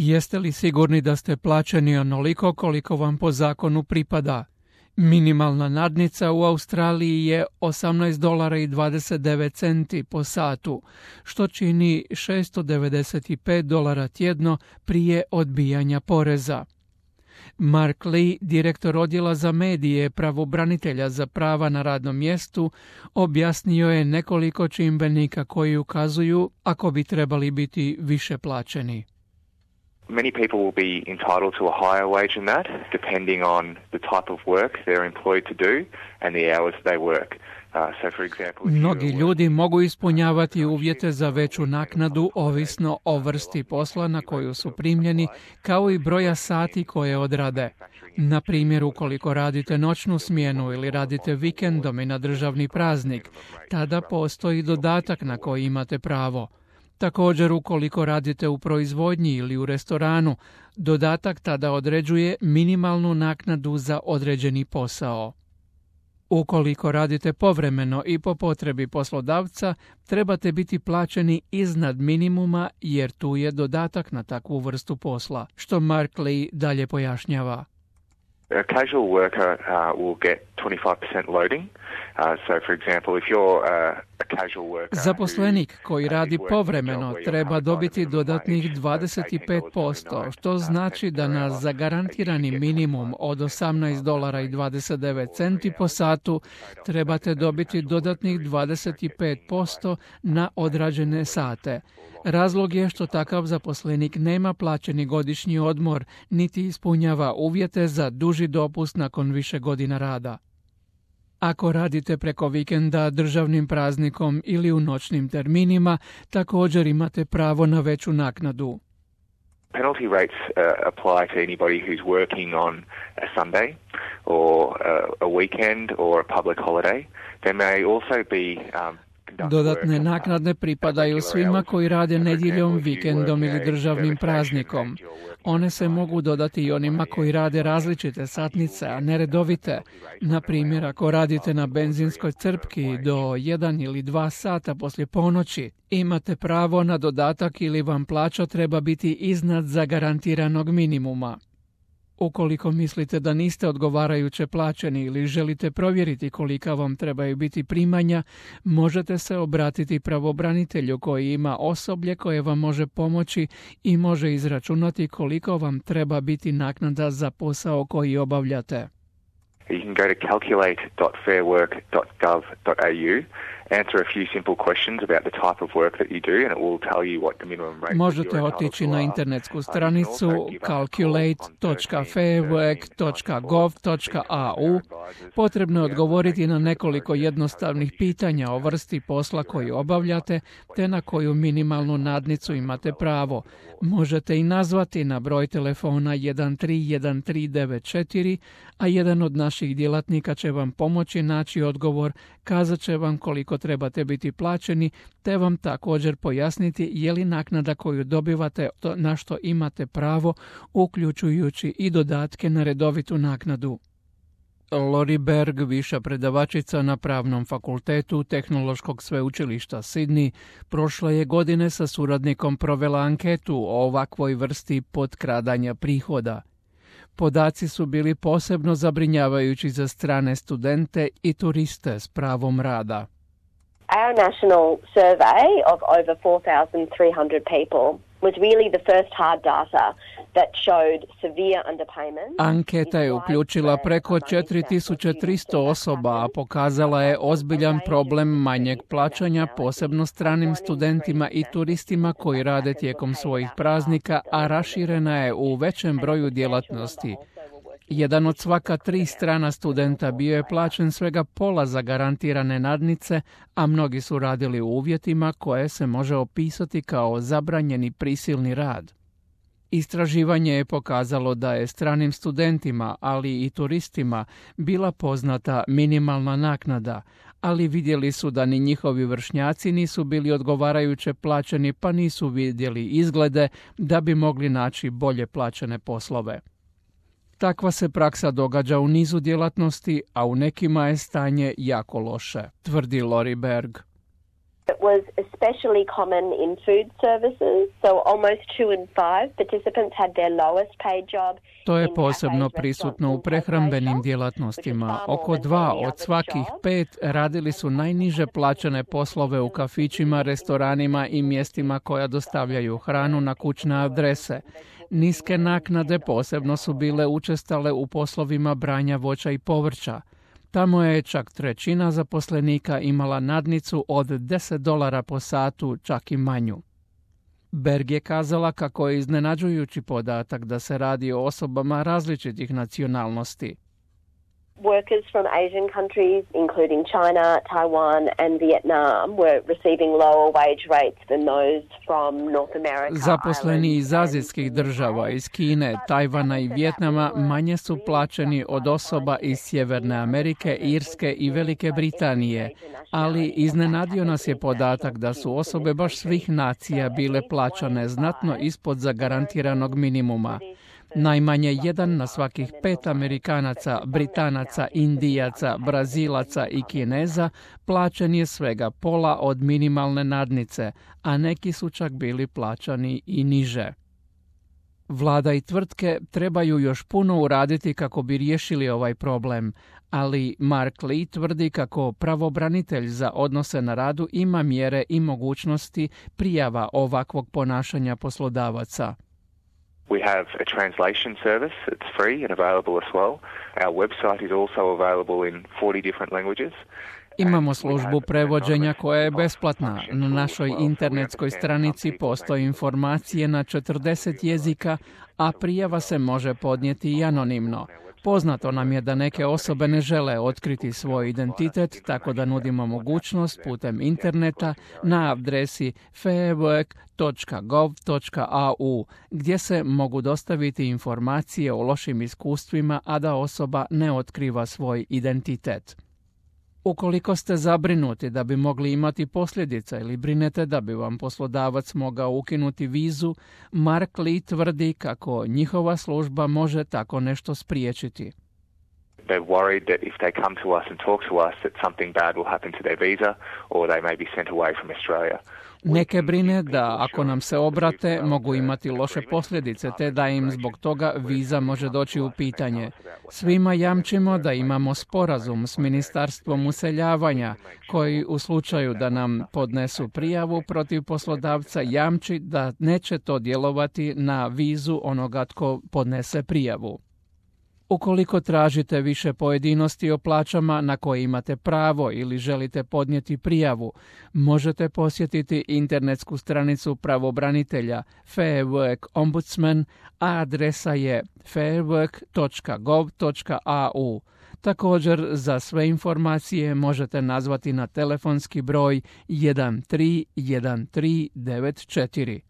Jeste li sigurni da ste plaćeni onoliko koliko vam po zakonu pripada? Minimalna nadnica u Australiji je $18.29 po satu, što čini $695 tjedno prije odbijanja poreza. Mark Lee, direktor odjela za medije pravobranitelja za prava na radnom mjestu, objasnio je nekoliko čimbenika koji ukazuju ako bi trebali biti više plaćeni. Many people will be entitled to a higher wage than that, depending on the type of work they're employed to do and the hours they work. Mnogi ljudi mogu ispunjavati uvjete za veću naknadu ovisno o vrsti posla na koju su primljeni, kao i broja sati koje odrade. Na primjer, ukoliko radite noćnu smjenu ili radite vikendom i na državni praznik, tada postoji dodatak na koji imate pravo. Također, ukoliko radite u proizvodnji ili u restoranu, dodatak tada određuje minimalnu naknadu za određeni posao. Ukoliko radite povremeno i po potrebi poslodavca, trebate biti plaćeni iznad minimuma jer tu je dodatak na takvu vrstu posla, što Mark Lee dalje pojašnjava. A casual worker will get 25% loading. So, for example, if you're a casual worker... Zaposlenik koji radi povremeno treba dobiti dodatnih 25%, što znači da na zagarantirani minimum od $18.29 po satu trebate dobiti dodatnih 25% na odrađene sate. Razlog je što takav zaposlenik nema plaćeni godišnji odmor, niti ispunjava uvjete za duži dopust nakon više godina rada. Ako radite preko vikenda, državnim praznikom ili u noćnim terminima, također imate pravo na veću naknadu. Penalty rates apply to anybody who's working on a Sunday or a weekend or a public holiday. There may also be Dodatne naknade pripadaju svima koji rade nedjeljom, vikendom ili državnim praznikom. One se mogu dodati i onima koji rade različite satnice, a ne redovite. Na primjer, ako radite na benzinskoj crpki do 1 ili 2 sata poslije ponoći, imate pravo na dodatak ili vam plaća treba biti iznad zagarantiranog minimuma. Ukoliko mislite da niste odgovarajuće plaćeni ili želite provjeriti kolika vam trebaju biti primanja, možete se obratiti pravobranitelju koji ima osoblje koje vam može pomoći i može izračunati koliko vam treba biti naknada za posao koji obavljate. You can go to calculate.fairwork.gov.au, answer a few simple questions about the type of work that you do, and it will tell you what the minimum rate. Možete otići na internetsku stranicu calculate.fairwork.gov.au. Potrebno je odgovoriti na nekoliko jednostavnih pitanja o vrsti posla koju obavljate, te na koju minimalnu nadnicu imate pravo. Možete i nazvati na broj telefona 131394, a jedan od naših djelatnika će vam pomoći naći odgovor, kazat će vam koliko trebate biti plaćeni, te vam također pojasniti je li naknada koju dobivate na što imate pravo, uključujući i dodatke na redovitu naknadu. Lori Berg, viša predavačica na Pravnom fakultetu Tehnološkog sveučilišta Sydney, prošle je godine sa suradnikom provela anketu o ovakvoj vrsti potkradanja prihoda. Podaci su bili posebno zabrinjavajući za strane studente i turiste s pravom rada. Our national survey of over 4,300 people was really the first hard data that showed severe underpayment. Anketa je uključila preko 4300 osoba, a pokazala je ozbiljan problem manjeg plaćanja, posebno stranim studentima i turistima koji rade tijekom svojih praznika, a raširena je u većem broju djelatnosti. Jedan od svaka 3 strana studenta bio je plaćen svega pola zagarantirane nadnice, a mnogi su radili u uvjetima koje se može opisati kao zabranjeni prisilni rad. Istraživanje je pokazalo da je stranim studentima, ali i turistima, bila poznata minimalna naknada, ali vidjeli su da ni njihovi vršnjaci nisu bili odgovarajuće plaćeni, pa nisu vidjeli izglede da bi mogli naći bolje plaćene poslove. Takva se praksa događa u nizu djelatnosti, a u nekima je stanje jako loše, tvrdi Lori Berg. It was especially common in food services, so almost 2 in 5 participants had their lowest paid job. To je posebno prisutno u prehrambenim djelatnostima. Oko 2 od svakih 5 radili su najniže plaćene poslove u kafićima, restoranima i mjestima koja dostavljaju hranu na kućne adrese. Niske naknade posebno su bile učestale u poslovima branja voća i povrća. Tamo je čak 1/3 zaposlenika imala nadnicu od $10 po satu, čak i manju. Berg je kazala kako je iznenađujući podatak da se radi o osobama različitih nacionalnosti. Workers from Asian countries, including China, Taiwan and Vietnam, were receiving lower wage rates than those from North America. Zaposleni iz azijskih država, iz Kine, Tajvana i Vijetnama manje su plaćeni od osoba iz Sjeverne Amerike, Irske i Velike Britanije, ali iznenadio nas je podatak da su osobe baš svih nacija bile plaćane znatno ispod zagarantiranog minimuma. Najmanje 1 na svakih 5 Amerikanaca, Britanaca, Indijaca, Brazilaca i Kineza plaćen je svega pola od minimalne nadnice, a neki su čak bili plaćani i niže. Vlada i tvrtke trebaju još puno uraditi kako bi riješili ovaj problem, ali Mark Lee tvrdi kako pravobranitelj za odnose na radu ima mjere i mogućnosti prijava ovakvog ponašanja poslodavaca. We have a translation service that's free and available as well. Our website is also available in 40 different languages. Imamo službu prevođenja koja je besplatna. Na našoj internetskoj stranici postoje informacije na 40 jezika, a prijava se može podnijeti i anonimno. Poznato nam je da neke osobe ne žele otkriti svoj identitet, tako da nudimo mogućnost putem interneta na adresi fairwork.gov.au, gdje se mogu dostaviti informacije o lošim iskustvima, a da osoba ne otkriva svoj identitet. Ukoliko ste zabrinuti da bi mogli imati posljedice ili brinete da bi vam poslodavac mogao ukinuti vizu, Mark Lee tvrdi kako njihova služba može tako nešto spriječiti. They're worried that if they come to us and talk to us that something bad will happen to their visa or they may be sent away from Australia. Neke brine da ako nam se obrate mogu imati loše posljedice te da im zbog toga viza može doći u pitanje. Svima jamčimo da imamo sporazum s Ministarstvom useljavanja koji u slučaju da nam podnesu prijavu protiv poslodavca jamči da neće to djelovati na vizu onoga tko podnese prijavu. Ukoliko tražite više pojedinosti o plaćama na koje imate pravo ili želite podnijeti prijavu, možete posjetiti internetsku stranicu pravobranitelja Fair Work Ombudsman, a adresa je fairwork.gov.au. Također, za sve informacije možete nazvati na telefonski broj 131394.